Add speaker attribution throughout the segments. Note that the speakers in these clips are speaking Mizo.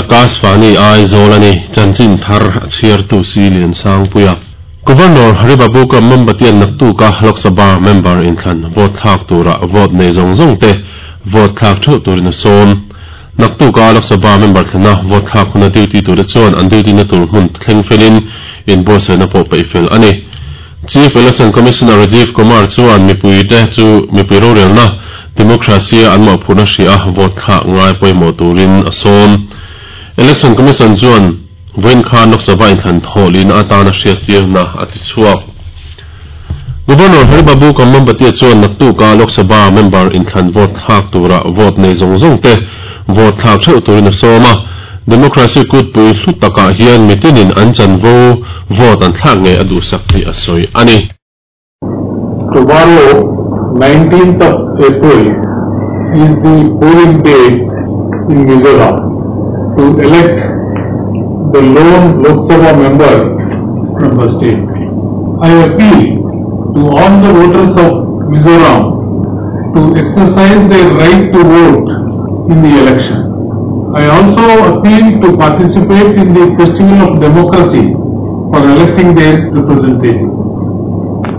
Speaker 1: Akashvani Aizawl a ni. Chanchin thar a chhiartu si Liansangpuia. Governor Haribabu Kambhampati-a'n naktuka Lok Sabha member inthlan vote thlak tura vote nei zawng zawng te vote thlak theuh turin a sawm. Naktuka Lok Sabha member thlana vote thlak huna duty tura chuan an duty na tur hmun thleng felin inbuatsaihna pawh peih fel a ni. Chief Election Commissioner Rajiv Kumar chuan mipuite chu mipui rorelna, democracy, a an mawhphurhna hria a vote thlak ngai pawimawh turin a sawm. Election Commission chuan vawiin khan Lok Sabha inthlan thawh lihna atana hriattirna a ti chhuak. Governor Haribabu Kambhampati chuan naktuka Lok Sabha member inthlan vote thlak tura vote nei zawng zawng te vote thlak theuh turin a sawm a. Democracy kutpui hlu takah hian mitinin an chanvo vote an thlak ngei a duhsak tih a sawi a ni.
Speaker 2: Tomorrow, 19th of April, is the polling day in Mizoram to elect the lone Lok Sabha member from the state. I appeal to all the voters of Mizoram to exercise their right to vote in the election. I also appeal to participate in the festival of democracy for electing their representative.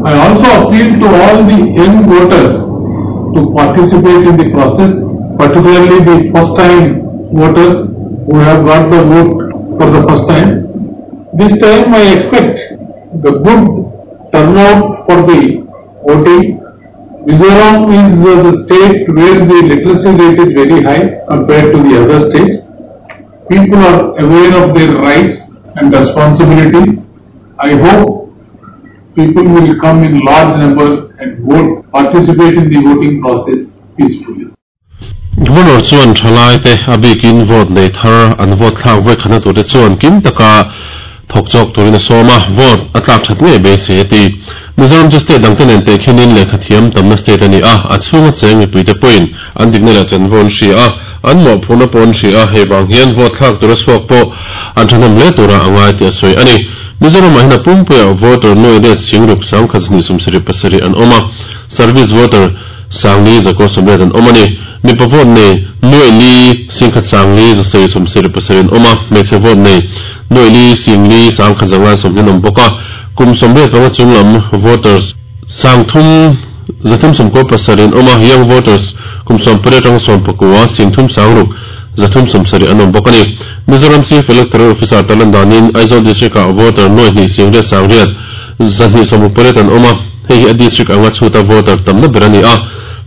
Speaker 2: I also appeal to all the young voters to participate in the process, particularly the first time voters who have got the vote for the first time. This time I expect the good turnout for the voting. Mizoram is the state where the literacy rate is very high compared to the other states. People are aware of their rights and responsibilities. I hope people will come in large numbers and vote, participate in the voting process peacefully.
Speaker 1: Governor chuan thalaite a bikin vote nei thar an vote thlak vawi khatna turte chuan kim taka thawk chawk turin a sawm a, vote a tlak that ngei beisei a ti. Mizoram chu state dangte nen tehkhinin lehkha thiam tamna state a ni a, a chhunga cheng mipuite pawhin an dikna leh chanvo an hria a, an mawhphurhna pawh an hria a, hei vang hian vote thlak tura chhuak pawh an thahnem hle tura a ngai tih a sawi a ni. Mizoramah hian a pumpuiah voter nuai let singruk 1277 an awm a, service voter sangli zakua sawmriat an awm a ni. Mipa vote nei nuai li singkhat sangli zasarih sawmsarih pasarih an awm a, hmeichhe vote nei nuai li singli sangkhat zanga sawmhnih an awm bawk a. Kum 85 chunglam voters sangthum zathum sawmkua pasarih an awm a, young voters kum 18 atanga 19 singthum sangruk zathum sawmsarih an awm bawk a ni. Mizoram Chief Electoral Officer tarlan danin Aizawl District-ah voter nuai hnih singriat sangriat zahnih sawmruk pariat an awm a, hei hi a district anga chhuta voter tamna ber a ni a.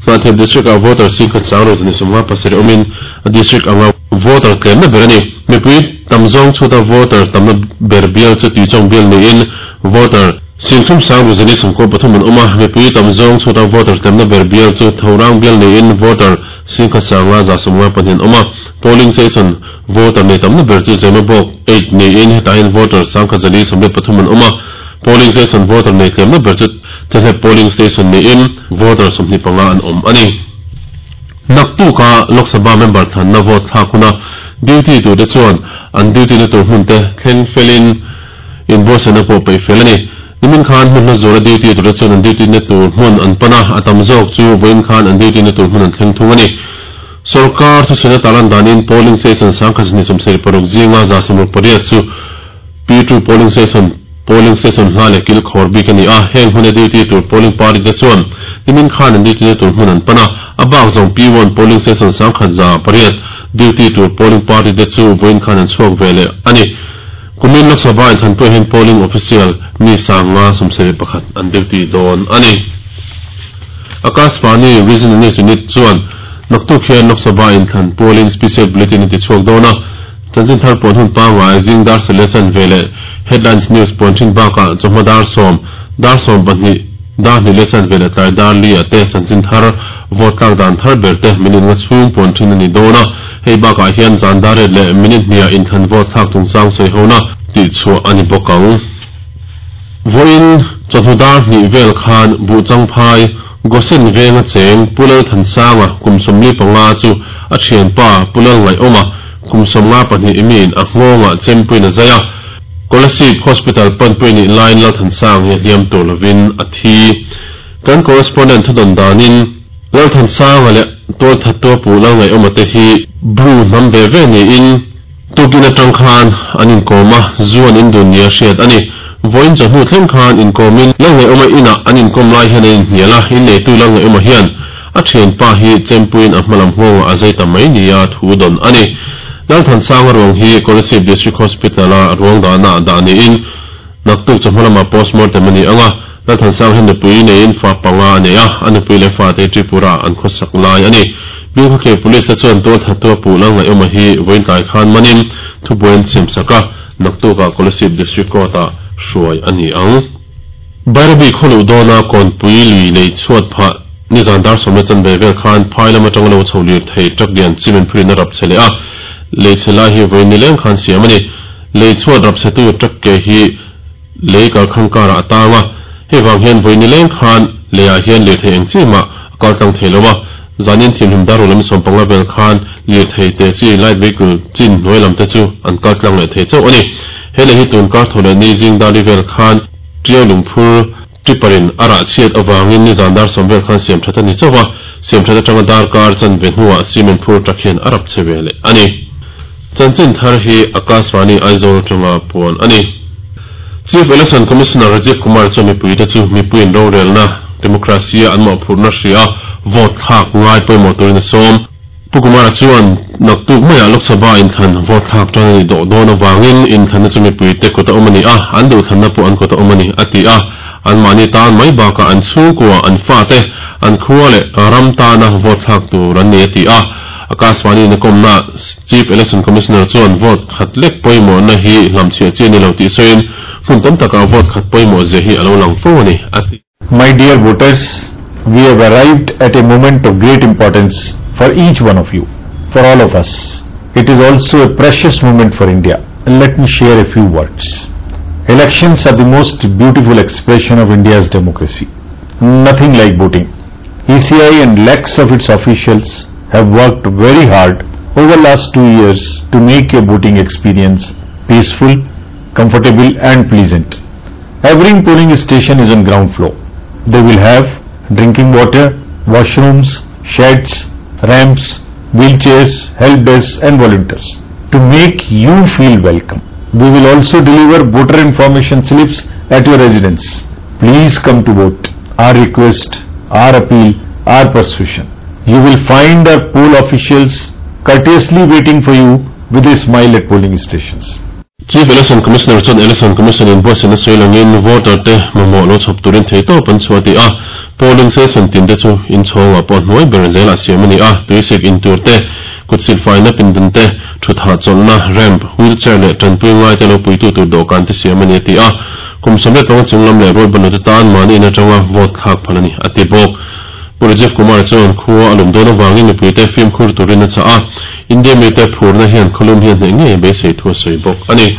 Speaker 1: Hnahthial District-ah voter singkhat sangruk zahnih sawmnga pasarih awmin a district anga voter tlemna ber a ni. Mipui tam zawng chhuta voter tamna ber bial chu Tuichawng bial niin voter singthum sangruk zahnih sawmkua pathum an awm a, mipui tam zawng chhuta voter tlemna ber bial chu Thorang bial niin voter singkhat sanga 152 an awm a. Polling station voter nei tamna ber chu Zemabawk 8 niin hetah hian voter 1183 an awm a. Polling station voter nei tlemna ber chu Thehlep polling station niin voter 25 an awm a ni. Naktuka Lok Sabha member thlanna vote thlak huna duty turte chuan an duty na tur hmun te thleng felin inbuatsaihna pawh peih fel a ni. Nimin khan hmun hla zuala duty turte chuan an duty na tur hmun an pan a, a tam zawk chu vawiin khan an duty na tur hmun an thleng thung a ni. Sorkar thusawiina tarlan danin polling station 1276 zinga 168 chu P2 polling station, polling station hla leh kil khawr bik a ni a, heng hmuna duty tur polling party te chuan nimin khan an duty na tur hmun an pan a, a bak zawng P1 polling station 1108 duty tur polling party te chu vawiin khan an chhuak ve leh a ni. Kumin Lok Sabha inthlanpuiah hian polling official mi 571 an duty dawn a ni. Akashvani Regional News Unit chuan naktuk hian Lok Sabha inthlan pualin special bulletin a ti chhuak dawn a, Chanchin thar puan hun pangngai zing dar sele chan ve leh Headlines News puan thin bakah chawhma dar sawm, dar sawm pahnih, dar hnih leh chan ve leh tlai dar li ah te chanchin thar vote tlak dan thar ber te minute nga chhung puan thin a ni dawn a. Hei bakah hian zan dar ret leh minute hniah inthlan vote thlak chungchang sawi hona tih chhuah a ni bawk ang. Vawiin chawhnu dar hnih vel khan Buhchangphai, Gosen venga cheng Pu Lalthansanga kum 45 chu a thianpa Pu Lalngaihawma kum 52 imiin a nghawngah chempuiin a zai a, Kolasib Hospital panpui nih laiin Lalthansang hi a hliam tur lovin a thi. Kan correspondent thudawn danin Lalthansanga leh tualthattua Pu Lalngaihawma te hi Bru hnam ve ve niin. Tukin atang khan an inkawm a, zu an indun nia hriat a ni. Vawiin chawhnu thleng khan inkawmin Lalngaihawma inah an inkawm lai hian an inhnial a, inneitu Lalngaihawma hian a thianpa hi chempuiin a hmalam nghawngah a zai ta mai nia thu dawn a ni. Lalthansanga ruang hi Kolasib District Hospital-a ruang dahna ah dah niin naktuk chawhma lamah postmortem a ni ang a, Lalthansanga hian nupui neiin fa panga a nei a, a nupui leh fate hi Tripura-ah an khawsak lai a ni. Bilkhawthlir Police te chuan tualthattu a puh Lalngaihawma hi vawiin tlai khan manin thubuai an siamsak a, naktukah Kolasib District Court-ah hruai a ni ang. Bairabi khawluh dawna Kawnpui lui lei chhuat phah nizan dar sawmna chanve vel khan phai lam atanga lo chho lir thei truck lian cement phurin a rap chhe leh a, lei chhe lai hi vawiin nileng khan siam a ni. Lei chhuat rap chhetu truck ke hi lei kalkhang karah a tang a, hei vang hian vawiin nileng khan leiah hian lirthei eng chi mah a kal tlang thei lo a, zanin thimhlim dar lam sawmpanga vel khan lirthei te chi light vehicle chin hnuai lam te chu an kal tlang leh thei chauh a ni. He lei hi tun kar tho leh ni zing dar li vel khan Tiau lungphur Tipper-in a rah chhiat avangin nizan dar sawm vel khan siam that a ni chauh a, siam that atanga dar kar chanve hnuah cement phur tak hian a rap chhe ve leh a ni. Chanchin thar hi Akashvani Aizawl atanga puan a ni. Chief Election Commissioner Rajiv Kumar chuan mipuite chu mipuiin rorelna, democracy, a an mawhphurhna hria vote thlak ngai pawimawh turin a sawm. Pu Kumara chuan naktuk maiah Lok Sabha inthlan vote thlak tan a nih dawh dawn avangin inthlanna chu mipuite kut a awm a ni a, an duhthlanna pawh an kut a awm a ni, a ti a. Anmahni tan mai bakah an chhungkua, an fate, an khua leh ram tana vote thlak tur an ni, a ti a. Akashvani in a kawmna Chief Election Commissioner chuan vote khat lek pawimawhna hi hlamchhiah chi a ni lo tih sawiin hmun tam takah vote khat pawimawh zia hi a lo lang fo a ni, a ti.
Speaker 2: My dear voters, we have arrived at a moment of great importance for each one of you, for all of us. It is also a precious moment for India. Let me share a few words. Elections are the most beautiful expression of India's democracy. Nothing like voting. ECI and lakhs of its officials have worked very hard over last two years to make your voting experience peaceful, comfortable and pleasant. Every polling station is on ground floor. They will have drinking water, washrooms, sheds, ramps, wheelchairs, help desks and volunteers to make you feel welcome. We will also deliver voter information slips at your residence. Please come to vote. Our request, our appeal, our persuasion. You will find our poll officials courteously waiting for you with a smile at polling stations.
Speaker 1: Chief Election Commissioner chuan Election Commission in buatsaihna sawi langin voter te mamawh lo chhawp turin theihtawp an chhuah tih a, polling station tin te chu inchhawngah pawh hnuai ber zelah siam a ni a, tuisik in tur te, kut silfaina pindan te, thutha chawlhna, ramp, wheelchair leh tanpui ngai te lo puitu tur dawhkan te siam a ni a ti a, kum 15 chung lam leh rualbanlo te tan mahni in atanga vote thlak phal a ni a ti bawk. Pu Rajiv Kumar chuan khua a lum dawn avangin mipuite fimkhur turin a chah a, India mite phurna hian khawlum hi a hneh ngei a beisei thu a sawi bawk a ni.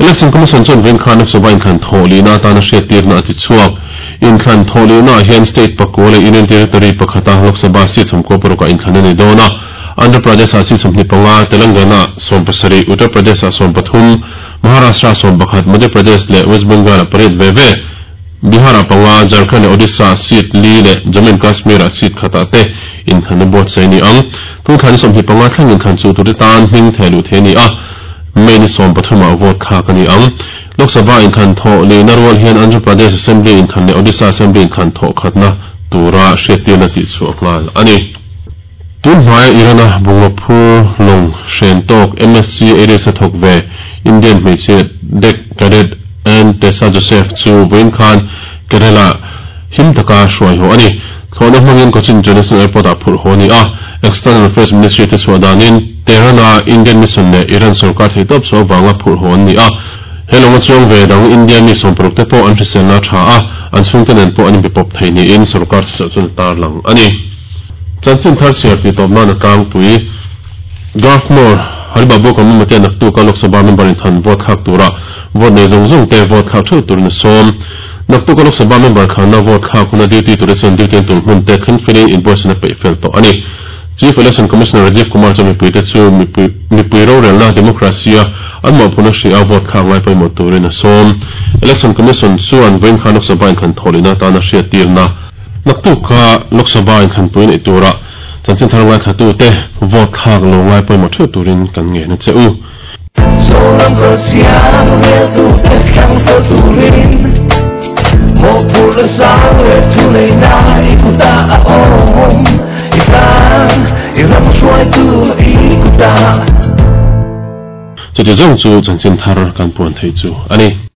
Speaker 1: Election Commission chuan vawiin khan Lok Sabha inthlan thawh lihna atana hriattirna a ti chhuak. Inthlan thawh lihnaah hian state pakua leh Union Territory pakhata Lok Sabha seat sawmkua parukah inthlan a ni dawn a, Andhra Pradesh-ah seat 25, Telangana-ah 17, Uttar Pradesh-ah 13, Maharashtra-ah 11, Madhya Pradesh leh West Bengal-ah pariat ve ve. Bihar-ah panga, Jharkhand leh Odisha-ah seat li leh Jammu and Kashmir-ah seat khatah te inthlanna buatsaih a ni ang. Tungthla ni 25 thleng inthlan chu tute tan hming theh luh thei a ni a, May ni 13 ah vote thlak a ni ang. Lok Sabha inthlan thawh lihna rual hian Andhra Pradesh Assembly inthlan leh Odisha Assembly inthlan thawh khatna tura hriattirna tihchhuah nghal a ni. Tun hmaia Iran-a bungraw phur lawng hren tawk MSC Aries a thawk ve Indian hmeichhe deck cadet Ann Tessa Joseph chu vawiin khan Kerala him taka hruai haw a ni. Thlawhna hmangin Cochin International Airport-ah phurh haw a ni a. External Affairs Ministry te chhuah danin Tehran-a Indian Mission leh Iran sorkar theihtawp chhuah avanga phurh haw an ni a. He lawnga chuang ve dang India mi 60 te pawh an hriselna a tha a, an chhungte nen pawh an inbepawp thei niin sorkar thuchah chuan a tarlang a ni. Chanchin thar chhiar tih tawp nan a tlangpui. Governor Haribabu Kambhampati-a naktuka Lok Sabha member inthan vote thlak tura vote nei zawng zawng te vote thlak theuh turin a sawm. Naktuka Lok Sabha member thlanna vote thlak huna duty tura chuan duty an tur hmun te thleng felin inbuatsaihna a peih fel tawh a ni. Chief Election Commissioner Rajiv Kumar chuan mipuite chu mipui rorelna, democracy, a an mawhphurhna hria a vote thlak ngai pawimawh turin a sawm. Election Commission chuan vawiin khan Lok Sabha inthan thawhlihna atana hriattirna, Naktuk kha Lok Sabha inthlanpui neih turah Chanchin thar ngaithlatute vote thlak lo ngai pawimawh theuh turin kan ngen a che u.
Speaker 3: Zoram kalsiam reltute thlang fel turin mawhphurhna sang leh thu neihna i kutah a awm. I tan i ram hruaitu i kutah.
Speaker 1: Chuti zawng chu chanchin thar kan puan theih chu a ni.